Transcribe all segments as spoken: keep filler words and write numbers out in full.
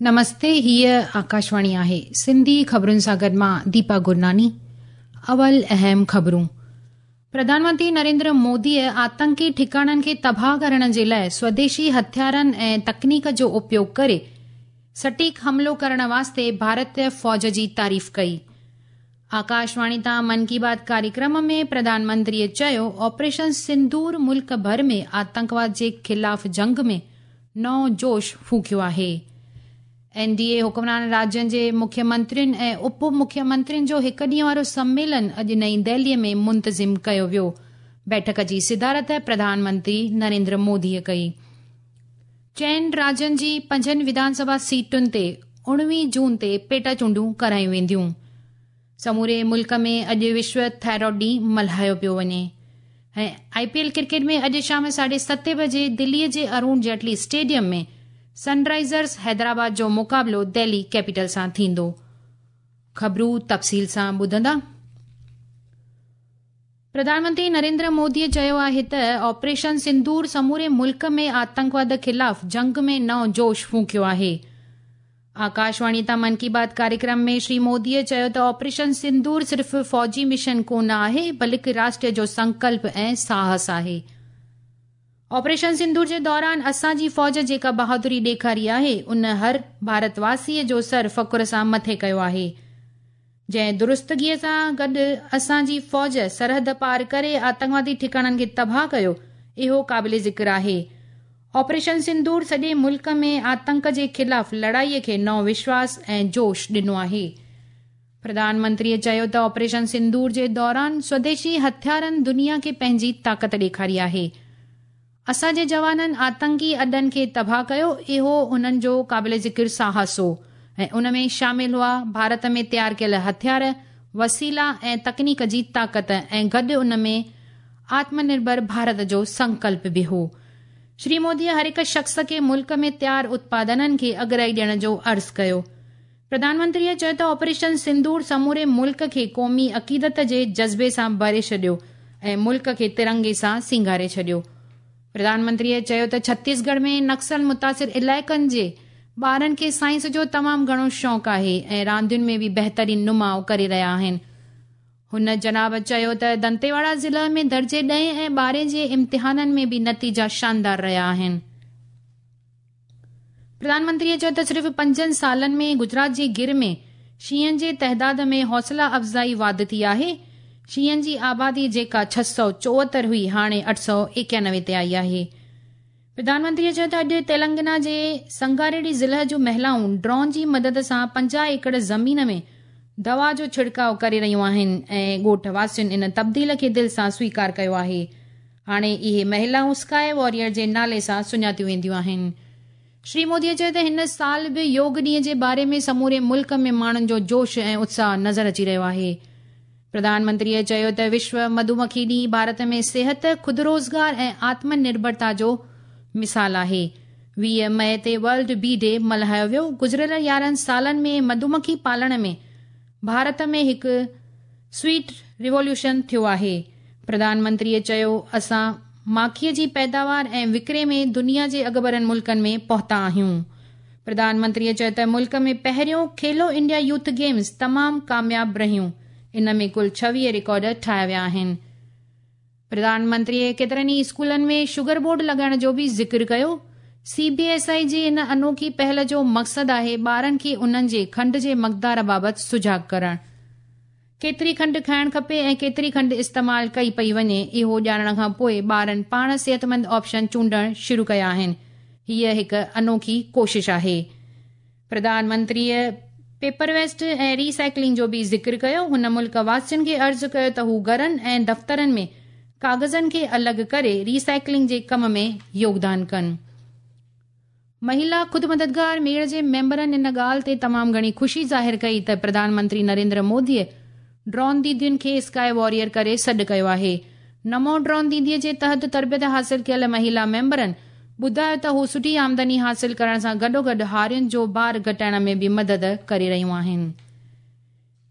نمستي، هيء آڪاشواڻي آهي. سنڌي خبرن سان گڏ مان ديپا گرناني. اول اهم خبرون. پرڌان منتري نريندر موديء آتنڪي ٺڪاڻن کي تباهه ڪرڻ جي لاءِ سوديشي هٿيارن ۽ تڪنيڪ جو اپيوگ ڪري سٽيڪ حملو ڪرڻ واسطي ڀارتيه فوج جي تعريف ڪئي. آڪاشواڻي تان من ڪي بات ڪاريڪرم ۾ پرڌان منتريءَ چيو، آپريشن سندور ملڪ ڀر ۾ آتنڪواد جي خلاف جنگ ۾ نئون جوش ڦوڪيو آهي. اين ڊي اي حڪمران راجين جي مکيه منترين ۽ اپ مکيه منترين جو هڪ ڏينهن وارو سميلن اڄ نئين دهليءَ ۾ منتظم ڪيو ويو. بيٺڪ جي صدارت پرڌان منتري نريندر موديءَ ڪئي. چئن راجين جي پنجن وڌان سڀا سيٽن تي اڻويهه جون تي پيٽا چونڊون ڪرايون وينديون. سموري ملڪ ۾ اڄ وشو ٿائرائيڊ ڏينهن ملهايو پيو وڃي. ۽ آئي پي ايل ڪرڪيٽ ۾ اڄ شام ساڍي ستين بجي دليءَ جي ارون جيٽلي اسٽيڊيم ۾ سن رائزرس حيدرآباد جو مقابلو دهلي ڪيپيٽل سان ٿيندو. خبرون تفصيل سان ٻڌندا. پرڌان منتري نريندر موديءَ چيو آهي ته آپريشن سندور سموري ملڪ ۾ آتنڪواد خلاف جنگ ۾ نئون جوش ڦوڪيو آهي. آڪاشواڻي تان من ڪي بات ڪاريڪرم ۾ شري موديءَ چيو ته آپريشن سندور صرف فوجي مشن ڪونه آهي، بلڪه راشٽر جو سنڪلپ ۽ ساهس آهي. آپريشن سندور جي دوران اسان جي فوج جيڪا بهادري ڏيکاري آهي، ان هر ڀارتواسيءَ جو سر فخر سان مٿي ڪيو آهي. جنهن درستگيءَ سان گڏ اسان جي فوج سرحد پار ڪري آتنڪوادي ٺڪاڻن کي تباهه ڪيو، اهو قابل ذڪر آهي. آپريشن سندور سڄي ملڪ ۾ آتنڪ جي خلاف لڙائيءَ کي نئون وشواس ۽ جوش ڏنو آهي. پرڌان منتريءَ چيو ته آپريشن سندور جي دوران سوديشي هٿيارن دنيا کي پنهنجي طاقت ڏيکاري آهي. اسان جي جوانن آتنڪي اڏن کي تباهه ڪيو، اهو انهن جو قابل ذڪر ساهس هو ۽ ان ۾ شامل هئا ڀارت ۾ تيار ڪيل هٿيار، وسيلا ۽ تڪنيڪ جي طاقت ۽ گڏ ان ۾ آتم نرڀر ڀارت جو سنڪلپ به هو. شري موديءَ هر هڪ شخص کي ملڪ ۾ تيار اتپادنن کي اڳرائي ڏيڻ جو عرض ڪيو. پرڌان منتريءَ چيو ته آپريشن سندور سموري ملڪ کي قومي عقيدت جي جذبي سان ڀري ڇڏيو ۽ ملڪ کي ترنگي سان سينگاري ڇڏيو. پرڌان منتريءَ چيو ته ڇتيسڳڙهه ۾ نڪسل متاثر علائقن جي ٻارن کي سائنس جو تمام گهڻو شوق آهي ۽ راندين ۾ به بهترين نماءُ ڪري رهيا آهن. هن جناب چيو ته دنتيواڙا ضلع ۾ درجي ڏهين ۽ ٻارهين جي امتحانن ۾ به نتيجا شاندار رهيا آهن. پرڌان منتريءَ چيو ته صرف پنجن سالن ۾ گجرات جي گر ۾ شينهن جي تعداد ۾ حوصلا افزائي واڌ ٿي آهي. شينهن جي آبادي جيڪا ڇهه سؤ چوهتر هئي، هاڻي اٺ سؤ ايڪانوي تي آئي آهي. پرڌان منتريءَ چيو ته اڄ تيلنگانا جي سنگاريڊي ضلع جون مهلائون ڊرون جي مدد سان پنجاهه ايڪڙ زمين ۾ دوا جو ڇڙڪاءُ ڪري رهيون آهن ۽ ڳوٺ واسين ان تبديل کي دل سان سويڪار ڪيو آهي. هاڻي اهي مهلائون اسڪائي واريئر جي نالي سان سڃاتيون وينديون آهن. شري موديءَ چيو ته هن سال به يوگ ڏينهن جي باري ۾ سموري ملڪ ۾ ماڻهن جو جوش ۽ اتساهه نظر اچي رهيو آهي. پرڌان منتريءَ چيو ته وشو مڌومکي ڏينهن ڀارت ۾ صحت، خود روزگار ۽ آتم نرڀرتا جو مثال آهي. ويهه مئي تي ورلڊ بي ڊي ملهايو ويو. گذريل يارهن سالن ۾ مڌومکي پالڻ ۾ ڀارت ۾ هڪ سويٽ ريووليوشن ٿيو آهي. پرڌان منتريءَ چيو، اسان ماکيءَ جي پيداوار ۽ وڪري ۾ دنيا جي اڳڀرن ملڪن ۾ پهتا آهيون. پرڌان منتريءَ چيو ته ملڪ ۾ پهريون کيلو انڊيا يوٿ گيمز تمام ڪامياب رهيون. ان ۾ ڪل ڇويهه رڪارڊ ٺاهيا ويا آهن. پرڌان منتريءَ ڪيترن ئي اسڪولن ۾ شگر بورڊ لڳائڻ جو به ذڪر ڪيو. سي بي ايس I جي ان انوکي پهل جو مقصد آهي ٻارن کي انهن جي کنڊ جي مقدار بابت سجاڳ ڪرڻ. ڪيتري کنڊ کائڻ کپي ۽ ڪيتري کنڊ استعمال ڪئي پئي وڃي، اهو ڄاڻڻ کان پوءِ ٻارن پاڻ صحتمند آپشن چونڊڻ شروع ڪيا آهن. هيءَ هڪ انوکي ڪوشش آهي. پرڌان منتريءَ پيپر ويسٽ ۽ ريسائيڪلنگ جو به ذڪر ڪيو. هن ملڪ واسين کي عرض ڪيو ته هو گهرن ۽ دفترن ۾ ڪاغذن کي الڳ ڪري ريسائيڪلنگ جي ڪم ۾ يوگدان ڪن. مهلا خود مددگار ميڙ جي ميمبرن ان ڳالهه تي تمام گهڻي خوشي ظاهر ڪئي ته پرڌان منتري نريندر موديءَ ڊرون ديدين کي اسڪائي واريئر ڪري سڏ ڪيو آهي. نمو ڊرون ديديءَ جي تحت تربيت حاصل ڪيل مهلا ميمبرن ٻڌايو ته هو سٺي آمدني حاصل ڪرڻ سان گڏوگڏ هارين جو بار گهٽائڻ ۾ به مدد ڪري رهيون آهن.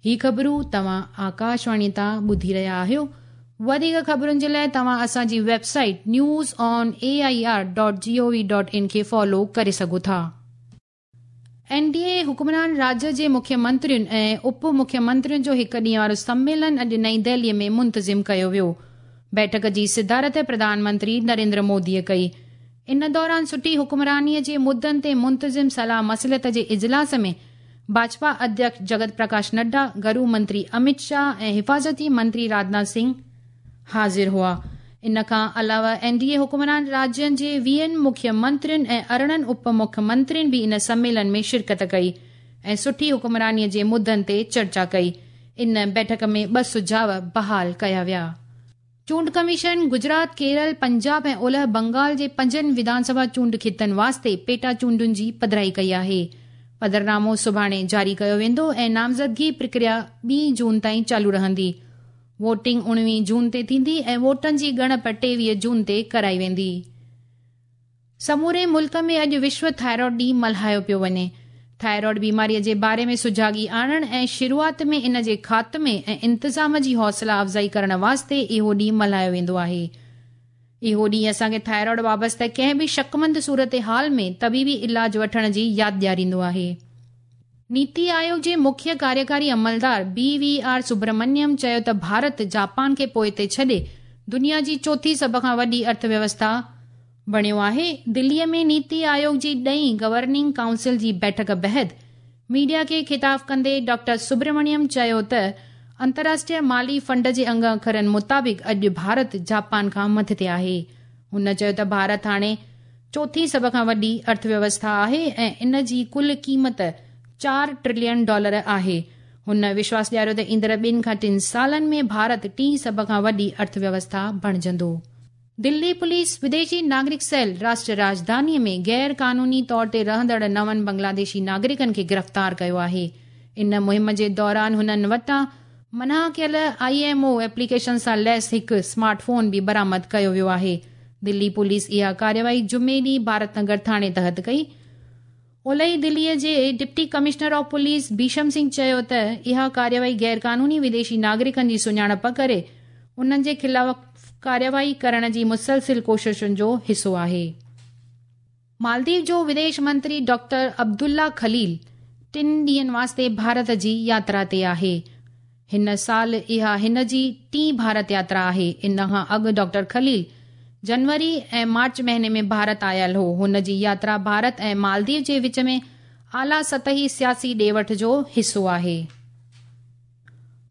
هي خبرون توهان آڪاشواڻي تان ٻڌي رهيا آهيو. وڌيڪ خبرن جي لاءِ توهان اسان جي website news on A I R dot G O V dot in کي فالو ڪري سگهو ٿا. एन डी ए हुक्मरान राज्य जे मुख्यमंत्रियुनि ऐं उप मुख्यमंत्रियुनि जो हिकु ॾींहं वारो सम्मेलन अॼु नई दिल्लीअ में मुंतज़िम कयो वियो। बैठक जी सिदारत प्रधानमंत्री नरेंद्र मोदीअ कई। इन दौरान सुठी हुक्मरानीअ जे मुद्दनि ते मुंतज़िम सलाह मसलत जे इजलास में भाजपा अध्यक्ष जगत प्रकाश नड्डा, गृह मंत्री अमित शाह ऐं हिफाज़ती मंत्री राजनाथ सिंह हाज़िर हुआ। इन खां अलावा एन डी ए हुक्मरान राज्यनि जे वीहनि मुख्यमंत्रियुनि ऐं अरिड़हं उप मुख्यमंत्रियुनि बि इन सम्मेलन में शिरकत कई ऐं सुठी हुक्मरानीअ जे मुद्दनि ते चर्चा कई। इन बैठक में ॿ सुझाव बहाल कया विया। चूंड कमीशन गुजरात, केरल, पंजाब ऐं ओलह बंगाल जे पंजनि विधानसभा चूंड खितनि वास्ते पेटा चूंडुनि जी पधराई कई आहे। पधरनामो सुभाणे जारी कयो वेंदो ऐं नामज़दगी प्रक्रिया ॿी जून ताईं चालू रहंदी। वोटिंग उणिवीह जून ते थींदी ऐं वोटनि जी ॻणप टेवीह जून ते कराई वेंदी। समूरे मुल्क में अॼु विश्व थायरॉइड ॾींहुं मल्हायो पियो वञे। थायरॉइड बीमारीअ जे बारे में सुजागी आणण ऐं शुरूआत में इन जे ख़ात्मे ऐं इंतज़ाम जी हौसला अफ़ज़ाई करण वास्ते इहो ॾींहुं मल्हायो वेंदो आहे। इहो ॾींहुं असांखे थायरॉइड वाबस्ता कंहिं बि शकमंद सूरत हाल में तबीबी इलाज वठण जी यादि ॾियारींदो आहे। नीति आयोग जे मुख्य कार्यकारी अमलदार बी we are Subramaniam चयो त भारत जापान खे पोइते छॾे दुनिया जी चोथी सभ खां वॾी अर्थव्यवस्था बणियो आहे। दिल्लीअ में नीति आयोग जी ॾहीं गवर्निंग काउंसिल जी बैठक बहद मीडिया खे ख़िताब कंदे डॉक्टर सुब्रमण्यम चयो त अंतर्राष्ट्रीय माली फंड जे अंग अखरनि मुताबिक़ अॼु भारत जापान खां मथिते आहे। हुन चयो त भारत हाणे चोथी सभ खां वॾी अर्थव्यवस्था आहे ऐं इन जी कुल क़ीमत चार ट्रिलियन डॉलर आहे। हुन विश्वास ॾियारियो त ईंदड़ ॿिनि खां टिनि सालनि में भारत टीं सभ खां वॾी अर्थव्यवस्था बणिजंदो। दिल्ली पुलिस विदेशी नागरिक सेल राष्ट्रीय राजधानीअ में गैर कानूनी तौर ते रहंदड़ नवनि बांग्लादेशी नागरिकनि खे गिरफ़्तार कयो आहे। इन मुहिम जे दौरान हुननि वटां मना कयल I M O application सां लैस हिकु स्मार्टफोन बि बरामद कयो वियो आहे। दिल्ली पुलिस इहा कार्यवाही जुमे ॾींहुं भारत नगर थाणे तहत कई। ओलही दिल्लीअ जे deputy commissioner of police Bhisham Singh चयो त इहा कार्यवाही गैर कानूनी विदेशी नागरिकनि जी सुञाणप करे उन्हनि जे ख़िलाफ़ कार्यवाही करण जी मुसलसिल कोशिशुनि जो हिसो आहे। मालदीव जो विदेश मंत्री डॉक्टर अब्दुल्ला ख़लील टिनि ॾींहनि वास्ते भारत जी यात्रा ते आहे। हिन साल इहा हिन जी टीं भारत यात्रा आहे। इन खां अॻु डॉक्टर ख़लील जनवरी ऐं मार्च महीने में भारत आयल हो। हुन जी यात्रा भारत ऐं मालदीव जे विच में आला सतही सियासी ॾे वठ जो हिसो आहे।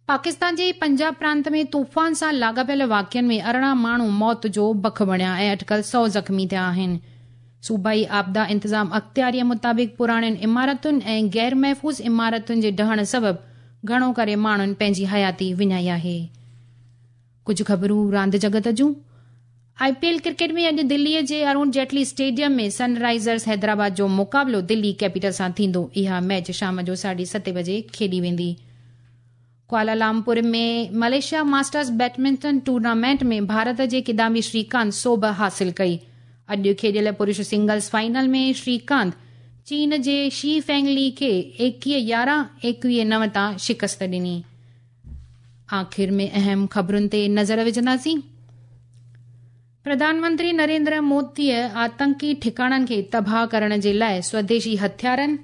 पाकिस्तान जे पंजाब प्रांत में तूफ़ान सां लाॻापियल वाक़िअनि में अरिड़हं माण्हू मौत जो बख बणिया ऐं अटकल सौ ज़ख़्मी थिया आहिनि। सूबाई आपदा इंतज़ाम अख़्तियारीअ मुताबिक़ पुराणियुनि इमारतुनि ऐं गैर महफ़ूज़ इमारतुनि जे डहण सबबु घणो करे माण्हुनि पंहिंजी हयाती विञाई आहे। कुझु ख़बरूं रांदि जगत जूं। I P L cricket में अॼु दिल्लीअ जे अरुण जेटली स्टेडियम में सनराइज़र्स हैदराबाद जो मुक़ाबिलो दिल्ली कैपिटल सां थींदो। इहा मैच शाम जो साढे सते बजे खेॾी वेंदी। Kuala Lumpur में मलेशिया मास्टर्स बैडमिंटन टूर्नामेंट में भारत जे किदाम्बी श्रीकांत सोभ हासिल कई। अॼु खेॾियल पुरुष सिंगल्स फाइनल में श्रीकांत चीन जे she फेंगली खे एकवीह यारहं एकवीह नव तां शिकस्त ॾिनी। आख़िर में अहम ख़बरुनि ते नज़र विझंदासीं। प्रधानमंत्री नरेंद्र मोदीअ आतंकी ठिकाणनि खे तबाह करण जे लाइ स्वदेशी हथियारनि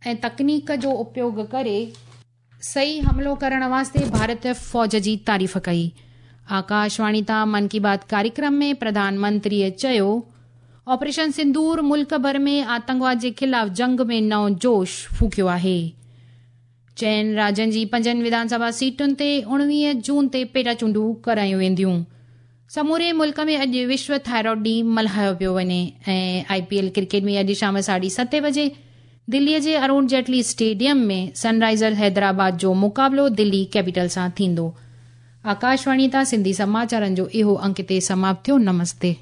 ऐं तकनीक जो उपयोग करे सही हमलो करण वास्ते भारतीय फ़ौज जी तारीफ़ कई। आकाशवाणी तां मन की बात कार्यक्रम में प्रधानमंत्रीअ चयो, ऑपरेशन सिंदूर मुल्क भर में आतंकवाद जे ख़िलाफ़ जंग में नओं जोश फूकियो आहे। चइनि राज्यनि जी पंजनि विधानसभा सीटुनि ते उणिवीह जून ते पेटा चूंडूं करायूं वेंदियूं। समूरे मुल्क में अॼु विश्व थायरॉइड ॾींहुं मल्हायो पियो वञे ऐं I P L cricket में अॼु शाम साढे सते बजे दिल्लीअ जे अरुण जेटली स्टेडियम में सनराइज़र हैदराबाद जो मुक़ाबिलो दिल्ली कैपिटल सां थींदो। आकाशवाणी तां सिंधी समाचारनि जो इहो अंक हिते समाप्त थियो। नमस्ते।